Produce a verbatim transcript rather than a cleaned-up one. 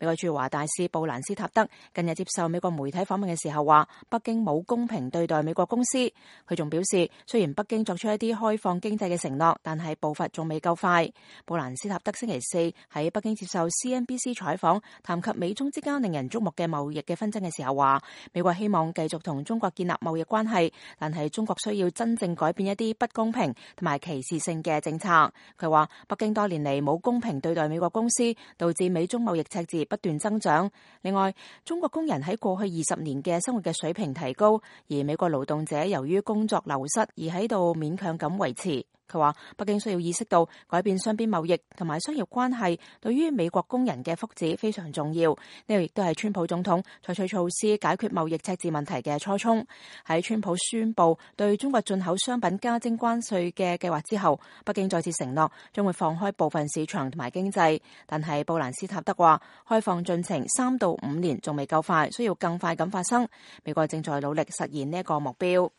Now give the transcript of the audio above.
美國駐華大使布蘭斯塔德近日接受美國媒體訪問嘅時候話，北京冇公平對待美國公司。佢仲表示，雖然北京作出一啲開放經濟嘅承諾，但係步伐仲未夠快。布蘭斯塔德星期四喺北京接受 C N B C 採訪，談及美中之間令人矚目嘅貿易嘅紛爭嘅時候話，美國希望繼續同中國建立貿易關係，但係中國需要真正改變一啲不公平同埋歧視性嘅政策。佢話北京多年嚟冇公平對待美國公司，導致美中貿易赤字不斷增長。另外，中國工人喺過去二十年嘅生活嘅水平提高，而美國勞動者由於工作流失而喺度勉強咁維持。佢話北京需要意識到改變雙邊貿易同埋商業關係對於美國工人嘅福祉非常重要。呢個亦都係川普總統採取措施解決貿易赤字問題嘅初衷。喺川普宣布對中國進口商品加徵關稅嘅計劃之後，北京再次承諾將會放開部分市場同埋經濟。但係布蘭斯塔德話，開放進程三到五年仲未夠快，需要更快咁發生。美國正在努力實現呢一個目標。